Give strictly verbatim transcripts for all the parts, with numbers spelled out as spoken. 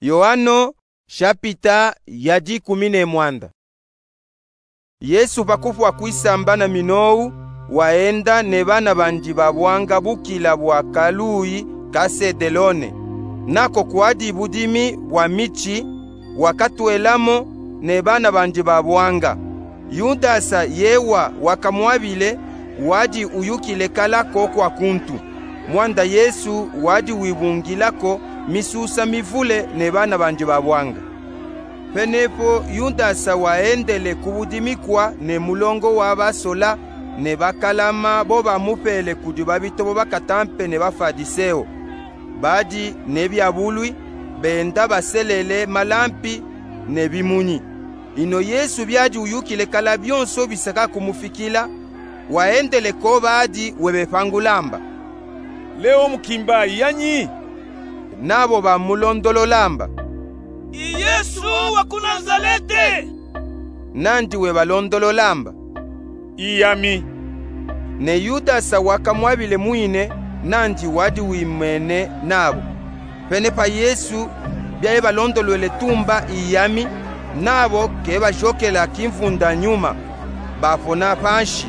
Yoano, shapita ya dikumi ne mwanda. Yesu pa kufwa kwisamba na minowu, waenda ne bana bandi ba bwanga bukila bwa kaluyi ka Sedelone. Nako kwadi budimi bwa mitshi, wakatwelamo ne bana bandi ba bwanga. Yudasa yewa wakamwabile, wadi uyukile kala ko kwa kuntu. Mwanda Yesu wadi wibungila ko misusa mivule ne bana bandi ba bwanga. Penepo Yudasa waendele ku budimi kwa ne mulongo wa basola ne bakalama bo bamupele kudi babitobo ba katampe ne Bafadiseo. Badi ne biabulwi, benda baselele malampi ne bimunyi. Ino Yesu biadi uyukile kala bionso bisaka kumufikila, waendele ko badi webepangula mba: Leo mukimba yanyi? Nabo bamulondolola mba: I Yesu wa ku Nazalete. Nandi webalondolola mba: I yami. Ne Yudasa wakamwabile mwine, nandi wadi wimene nabo. Penepa Yesu biaye balondolwele tumba: I yami, nabo kebajokela kimvunda nyuma, bapona panshi.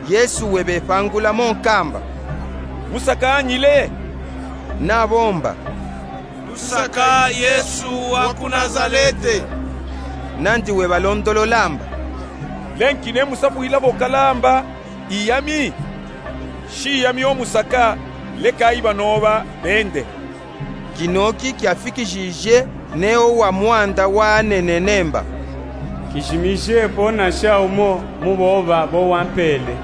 Yesu webepangula mo nkamba: Musaka nyile? Nabo mba: Tusaka Yesu wa ku Nazalete. Nandi webalondolola mba: Lenki ne musapuila bo kala mba: I yami? Shi yami o musaka, lekayi banoba bende. Kinoki kiafikijije ne o wa mwanda wanenene mba: Kijimije pona sha umo mu boba bo wampele.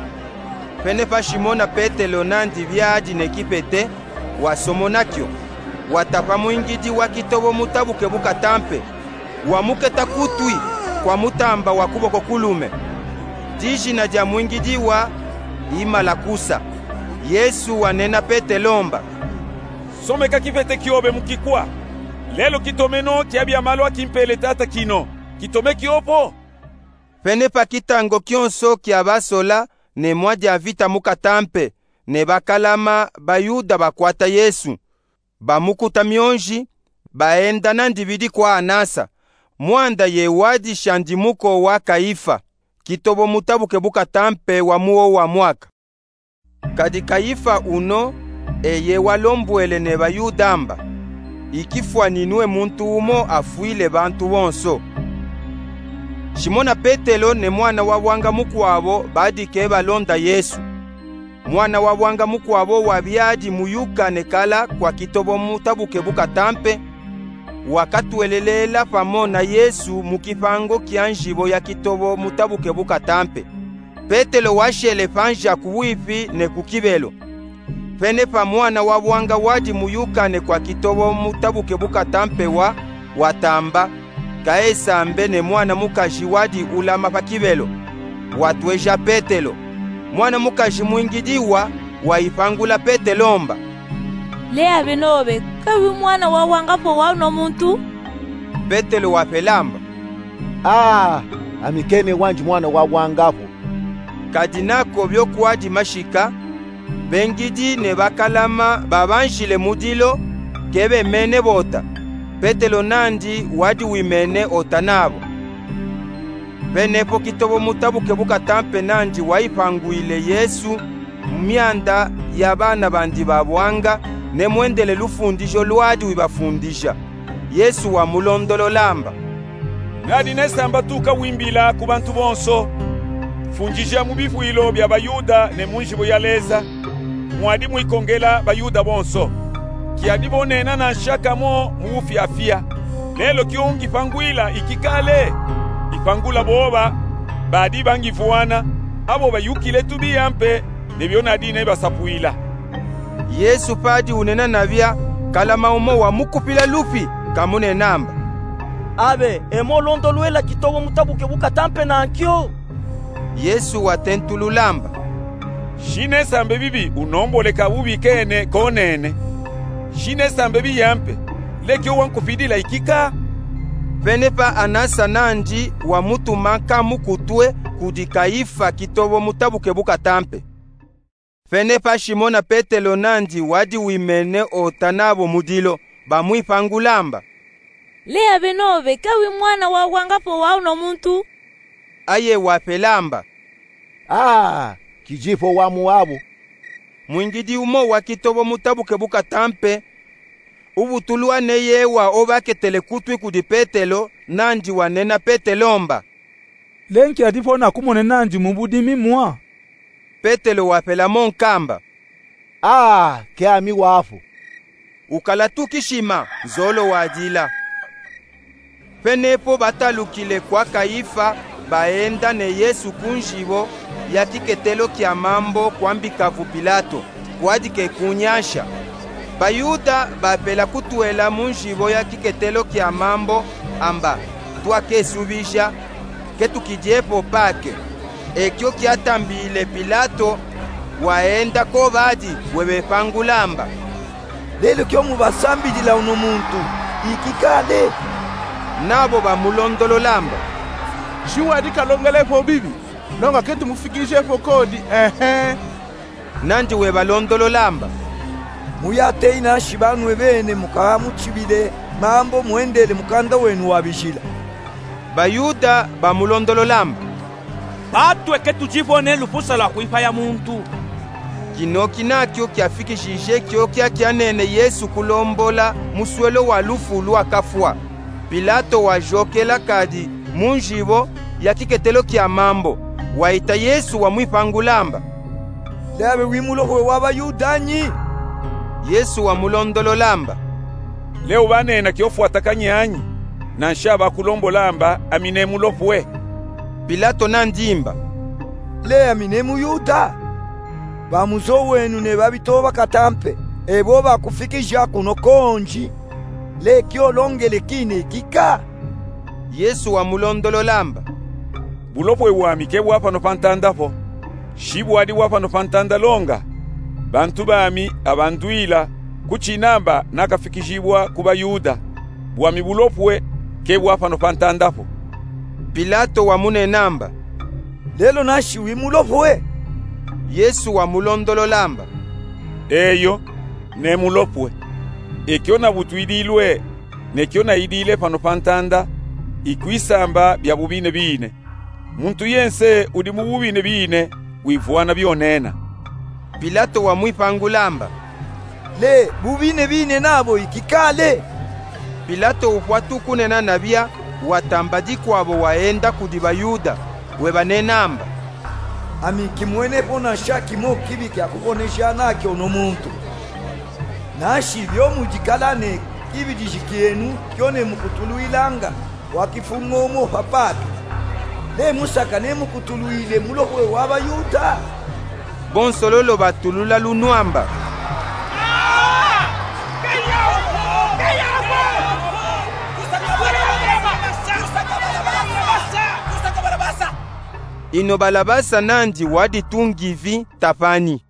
Penepa Shimona Petelo nandi biadi ne kipete, wasomona kio, watapa mwingidi wa kitobo mutabuke bu katampe, wamuketa kutwi kwa mutamba wa kuboko kulume. Dijina dia mwingidi wa i Malakusa. Yesu wanena Petelo mba: Someka kipete kiobe mu kikwa. Lelo kitomeno kia bia malu a kimpele Tata kino. Kitome kio po. Penepa kitango kionso kia basola ne mwa dia vita mu katampe ne bakalama Bayuda bakwata Yesu. Bamukuta mionji, baenda na ndibidi kwa Anasa, mwanda ye wadi shandimuko wa Kayifa, kitobo mutabuke bu katampe wa mu o wa mwaka. Kadi Kayifa uno, eye walombwele ne Bayuda mba: Ikifwa ninue muntu umo afwile bantu bonso. Shimona Petelo ne mwana wa bwanga mukwabo badi kebalonda Yesu. Mwana wa bwanga mukwabo wa biadi muyukane kala kwa kitobo mutabuke bu katampe, wakatwelelela pamo na Yesu mu kipango kia nzibo ya kitobo mutabuke bu katampe. Petelo washele panza ku bwipi ne ku kibelo. Penepa mwana wa bwanga wadi muyukane kwa kitobo mutabuke bu katampe wa, watamba, kaesambe ne mwana mukazi wadi ulama pa kibelo, watweja Petelo. Mwana mukazi mwingidi wa, wayipangula Petelo mba: Leya benobe, kawi mwana wa bwanga po wa uno muntu? Petelo wapela mba: Aa, ami kene wandi mwana wa bwanga po. Kadi nako bio kwadi mashika, bengidi ne bakalama babanzile mu dilo, kebemene bota. Petelo nandi wadi wimene ota nabo. Penepo kitobo mutabuke bu katampe nandi wayipangwile Yesu mu mianda ya bana bandi ba bwanga, ne mwendele lufundijo lwadi wibafundija. Yesu wamulondolola mba: Nadi nesamba tuka wimbila ku bantu bonso, fundija mu bivwilo bia Bayuda ne mu nzibo ya Leza, mwadi mwikongela Bayuda bonso. Kiadi bo nena na nshaka mo mu bufiafia. Lelo kio ungipangwila ikikale? Ipangula boba badi bangivwana, abo bayukile tubi ampe ne bio nadi nebasapuila. Yesu padi unena nabia, kalama umo wamukupila lupi, kamunena mba: Abe, emo londolwela kitobo mutabuke bu katampe na nkio. Yesu watentulula mba: Shi nesambe bibi unomboleka bubi kene konene. Shi nesambe biya mpe, lekio wankupidila ikika? Penepa Anasa nandi wamutuma nkamukutwe kudi Kayifa kitobo mutabuke bu katampe. Penepa Simona Petelo nandi wadi wimene ota nabo mu dilo, bamwipangula mba: Leya beno be, kawi mwana wa wanga po wa uno muntu. Aye wapelamba: Aa, kidifo wa muwabu. Mwingidi umo wa kitobo mutabuke bukatampe, ubutulwa neyewa obaketele kutwi kudi Petelo, nandi wanena Petelo mba: Le nkia difo nakumone nandi mu budimi mwa? Petelo wapelamo nkamba: Aa, ke ami wafo. Ukala tu kishima, nzolo wadila. Penepo batalukile kwa Kayifa, baenda ne Yesu ku nzibo ya kiketelo kia mambo kwambika vu Pilato, kwadike ku nyansa. Bayuda bapela kutwela mu nzibo ya kiketelo kia mambo, amba: Twakesubija, ke tukidiepo pake. Ekio kiatambile Pilato, waenda ko badi, webepangula mba: Lelo kio mubasambilila uno muntu, iki kale? Nabo bamulondolola mba: Si wadi kalongele po bibi, longa ke tumufikije po kodi, ehe. Nandi webalondolola mba: Muyateyi nansi banwe bene mukamutibile mambo mwendele mukanda wenu wa bijila. Bayuda bamulondolola mba: Patwe ke tudivo ne lufusa lwa kwipaya muntu. Kinoki nakio kiafikishije kiokia kianene Yesu kulombola muswelo wa lufu lwa kafwa. Pilato wayokela kadi mu nzibo ya kiketelo kia mambo, waita Yesu wamwipangula mba: Leya be wi Mulohwe wa Bayuda nyi? Yesu wamulondolola mba: Le ubanena kiofwata kanyanyi, nansi abakulombola mba ami ne Mulohwe? Pilato nandi mba: Le ami ne Muyuda? Bamuzowenu ne babitoba katampe, ebo bakufikija kuno konji. Le kiolongele kine kika? Yesu wamulondolola mba: Bulohwe bwami ke bwa pano pa ntanda po. Si bwadi bwa pano pa ntanda longa, bantu bami abandwila kutina mba nakafikijibwa ku Bayuda. Bwami bulohwe ke bwa pano pa ntanda po. Pilato wamunena mba: Lelo nansi wi Mulohwe? Yesu wamulondolola mba: Eyo, ne Mulohwe. Ekio nabutwidilwe ne kio nayidile pano pa ntanda, ikwisamba bia bubinebine. Muntu yense udi mu bubinebine wivwana bionena. Pilato wamwipangula mba: Le bubinebine nabo iki kale? Pilato upwa tu kunena nabia, watamba dikwabo waenda kudi Bayuda, webanena mba: Ami kimwene po nansa kimo kibi kia kukonesha nakio uno muntu. Nansi bio mudikala ne kibidiji kienu kio ne mukutulwilanga, wakifunga omo pa patu. Le musaka ne mukutulwile Mulohwe wa Bayuda? Bonso lolo batulula lunwa mba: Ino Balabasa nandi wadi tu ngivi tapani.